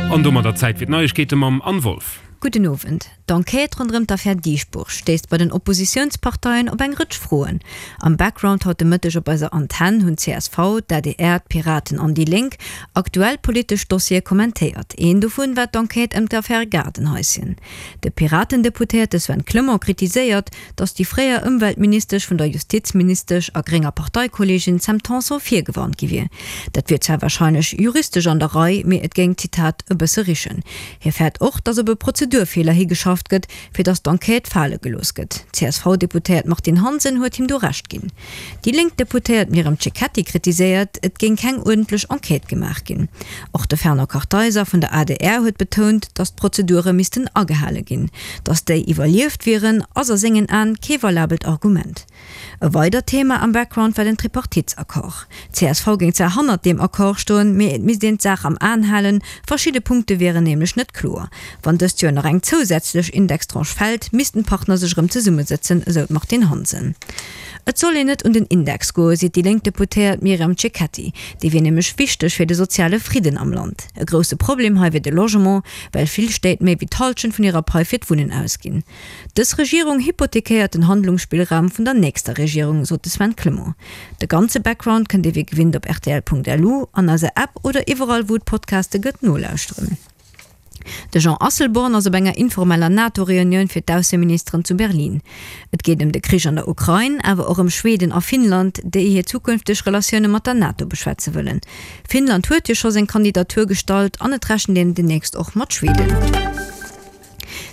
An domadder Zäit fir d'Neiegkeete mam Anne Wolff. Gudden Owend. D'Enquête ronderëm d'Affär Dieschbourg stéisst bei den Oppositiounsparteien op eng Rëtsch Froen. Am Background haut de Mëtteg op eiser Antenn hunn csv, d'ADR, d'Piraten an déi Lénk aktuell politesch Dossiere kommentéiert. Een dovun war d'Enquête ëm d'Affär Gaardenhaischen. De Piraten-Deputéierte Sven Clement kritiséiert, datt déi fréier Ëmweltministesch vun der Justizministesch a grénger Parteikolleegin Sam Tanson virgewarnt gi wier. Dat wier zwar warscheinlech juristesch an der Rei, mee et géing, Zitat, e bësse richen. Hie fäert och, datt op e Prozedurfeeler higeschafft gëtt, fir datt d'Enquête fale gelooss gëtt. D'CSV-Deputéiert Martine Hansen huet him do Recht ginn. Déi lénk Deputéiert Myriam Cecchetti kritiséiert, et géing keng uerdentlech Enquête gemaach ginn. Och de Fernand Kartheiser vun der adr huet betount, datt d'Prozedure missten agehale ginn. Datt déi iwwerlieft wieren, ass a sengen Aen kee valabelt Argument. E weidert Thema am Background war den Tripartitesaccord. D'CSV géing zwar hannert deem Accord stoen, mee et misst een d'Saach am Aen halen, verschidde Punkte wieren nämlech net kloer. Wann dëst Joer nach eng zousätzlech Indextranche fält, missten d'Partner sech erëm zesummesëtzen, esou d'Martine Hansen. Et soll een net un den Index goen, seet déi lénk Deputéiert Myriam Cecchetti. Dee wier nämlech wichteg fir de soziale Fridden am Land. E grousse Problem hei wier de Logement, well vill Stéit méi wéi d'Hallschent vun hirer Pai fir d'Wunnen ausginn. Dës Regierung hypothekéiert den Handlungsspillraum vun der nächster Regierung, sot de Sven Clement. De ganze Background kënnt Dir wéi gewinnt op rtl.lu, an eiser App oder iwwerall wou et Podcaste gëtt nolauschteren. De Jean Asselborn ass op enger informeller NATO-Reunioun fir d'Ausseministeren zu Berlin. Et geet ëm de Krich an der Ukrain, awer och ëm Schweden a Finnland, déi hir zukünfteg Relatioune mat der NATO beschwätze wëllen. Finnland huet jo scho seng Kandidatur gestallt an et rechent een demnächst och mat Schweden.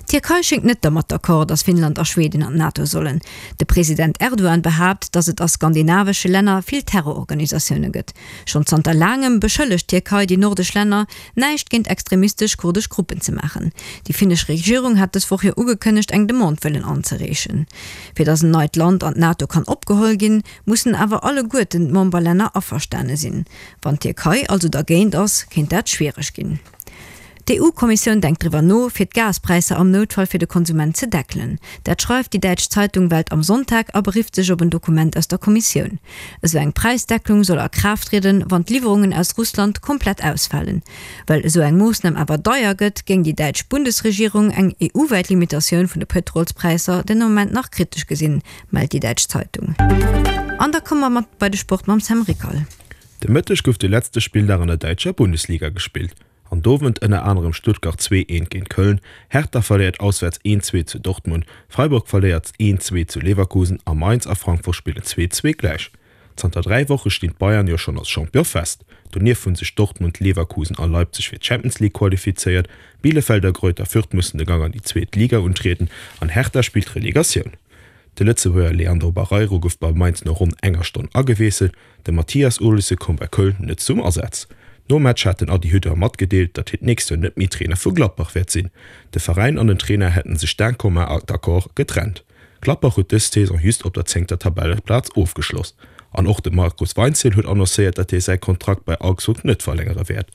D'Tierkei schéngt net dermat d'accord, datt Finnland a Schweden an d'NATO sollen. De President Erdogan behaapt, datt et a skandinavesche Länner vill Terrororganisatioune gëtt. Schonn zanter laangem beschëllegt d'Tierkei déi nordesch Länner, näischt géint extremistesch kurdesch Gruppen ze maachen. Déi finnesch Regierung hat dës Woch jo ugekënnegt, eng Demande wëllen anzereechen. Fir datt en neit Land an d'NATO kann opgeholl ginn, mussen awer alleguerten d'Memberlänner averstane sinn. Wann d'Tierkei also dergéint ass, kéint dat schwiereg ginn. D'EU-Kommissioun denkt driwwer no, fir d'Gaspräisser am Noutfall fir de Konsument ze deckelen. Dat schreift déi däitsch Zeitung Welt am Sonntag a berifft sech op en Dokument aus der Kommissioun. Esou eng Präisdecklung soll a Kraaft trieden, wann d'Liwwerungen aus Russland komplett ausfalen. Well esou eng Moossnam awer deier gëtt, géing déi däitsch Bundesregierung eng EU-wäit Limitatioun vun de Pëtrolspräisser den Ament nach kritesch gesinn, mellt déi däitsch Zeitung. An da komme mer mat bei de Sport mam Sam Rickal. De Mëtteg gouf de letzte Spilldag an der däitscher Bundesliga gespillt. An do wënnt ënner anerem Stuttgart 2, 1 géint Köln, Hertha verléiert auswäerts 1, 2 zu Dortmund, Freiburg verléiert 1, 2 zu Leverkusen a Mainz a Frankfurt spillen 2, 2 gläich. Zanter 3 Woche stinn d'Bayern jo schonn als Champion fest. Donieft hunn sech Dortmund, Leverkusen a Leipzig fir d'Champions League qualifizéiert, Bielefeld a Greuther Fürth mussen de Gang an déi zweet Liga untrieden an Hertha spillt d'Relegatioun. De Lëtzebuerger Leandro Barreiro gouf bei Mainz no ronn enger Stonn agewiesselt. De Mathias Olesen koum bei Köln net zum Asaz. Nom Match hat den Adi Hütter matgedeelt, datt hien d'nächst Joer net méi Trainer vu Gladbach wäert sinn. De Veräin an den Trainer hätten sech d'un commun accord getrennt. Gladbach huet dës Saison just op der zéngter Tabelleplaz ofgeschloss. An och de Markus Weinzierl huet annoncéiert, datt hie säi Kontrakt bei Augsburg net verlängere wäert.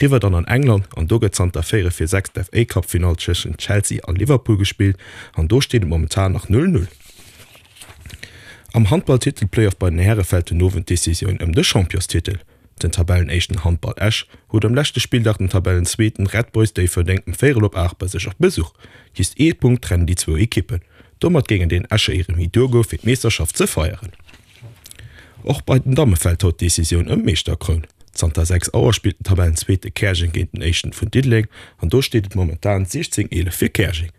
Riwwer dann an England an do gëtt zanter 4 vir 6 d'FA Cup Finall tëschent Chelsea a Liverpool gespillt an do steet et momentan nach 0, 0. Am Handball-Titel-Playoff bei den Häre fält den Owend d'Decisioun ëm de Championstitel. Den Tabellenéischten Handball Esch huet am leschte Spilldag den Tabellenzweeten Red Boys Déifferdeng um véierel op 8 bei sech op Besuch. Just ee Punkt trennen déi zwou Ekippen. Domat géingen den Escher ee Remis duergoe fir d'Meeschterschaft ze feieren. Och bei den Damme fält haut d'Decisioun ëm d'Meeschterkroun. Zanter 6 Auer spillt den Tabellenzweete Käerjeng géint den Éischten vun Diddeleng an do steet et momentan 16, 11 fir Käerjeng.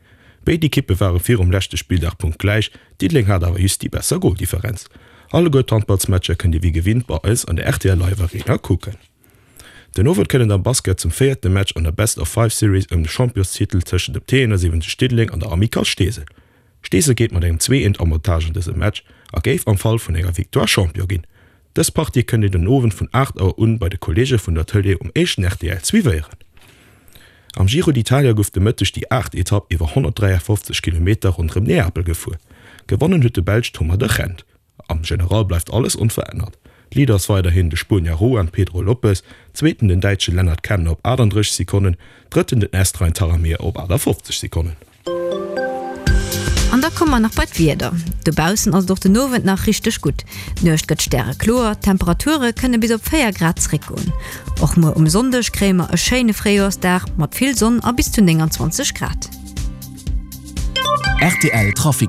Béid Ekippe ware virum leschte Spilldag punktgläich, Diddeleng hat awer just déi besser Goldifferenz. Alleguer d'Handballsmatcher kënnt Dir wéi gewinnt bei eis an der rtl Live Arena kucken. Den Owend kënnt et am Basket zum véierte Match an der Best of Five Series ëm de Championstitel tëschent dem T71 Diddeleng an der Amicale Steesel. Steesel geet mat engem 2 Eent Avantage an dëse Match a géif am Fall vun enger Victoire Champion ginn. Dës Partie kënnt Dir den Owend vun 8 Auer un bei de Kolleege vun der Tëlee um éischten rtl suivéieren. Am Giro d'Italia gouf de Mëtteg déi aacht Etapp iwwer 153 Kilometer ronderëm Neapel gefuer. Gewonnen huet de Belsch Thomas de Gendt. Am General bleift alles onverännert. Leader ass weiderhin de Spuenier Juan Pedro Lopez, Zweeten den Däitsche Lennard Kemna op 38 Sekonnen, Drëtten den Est Rein Taramir op 58 Sekonnen. An da. An da komme mer nach bei d'Wieder. Dobaussen ass et och den Owend nach richteg gutt. D'Nuecht gëtt stärekloer, d'Temperature kënne bis op 4 Grad zeréckgoen. Och muer um Sonndeg kréie mer e schéine Fréijoersdag mat vill Sonn a bis zu 29 Grad. Rtl Trafic.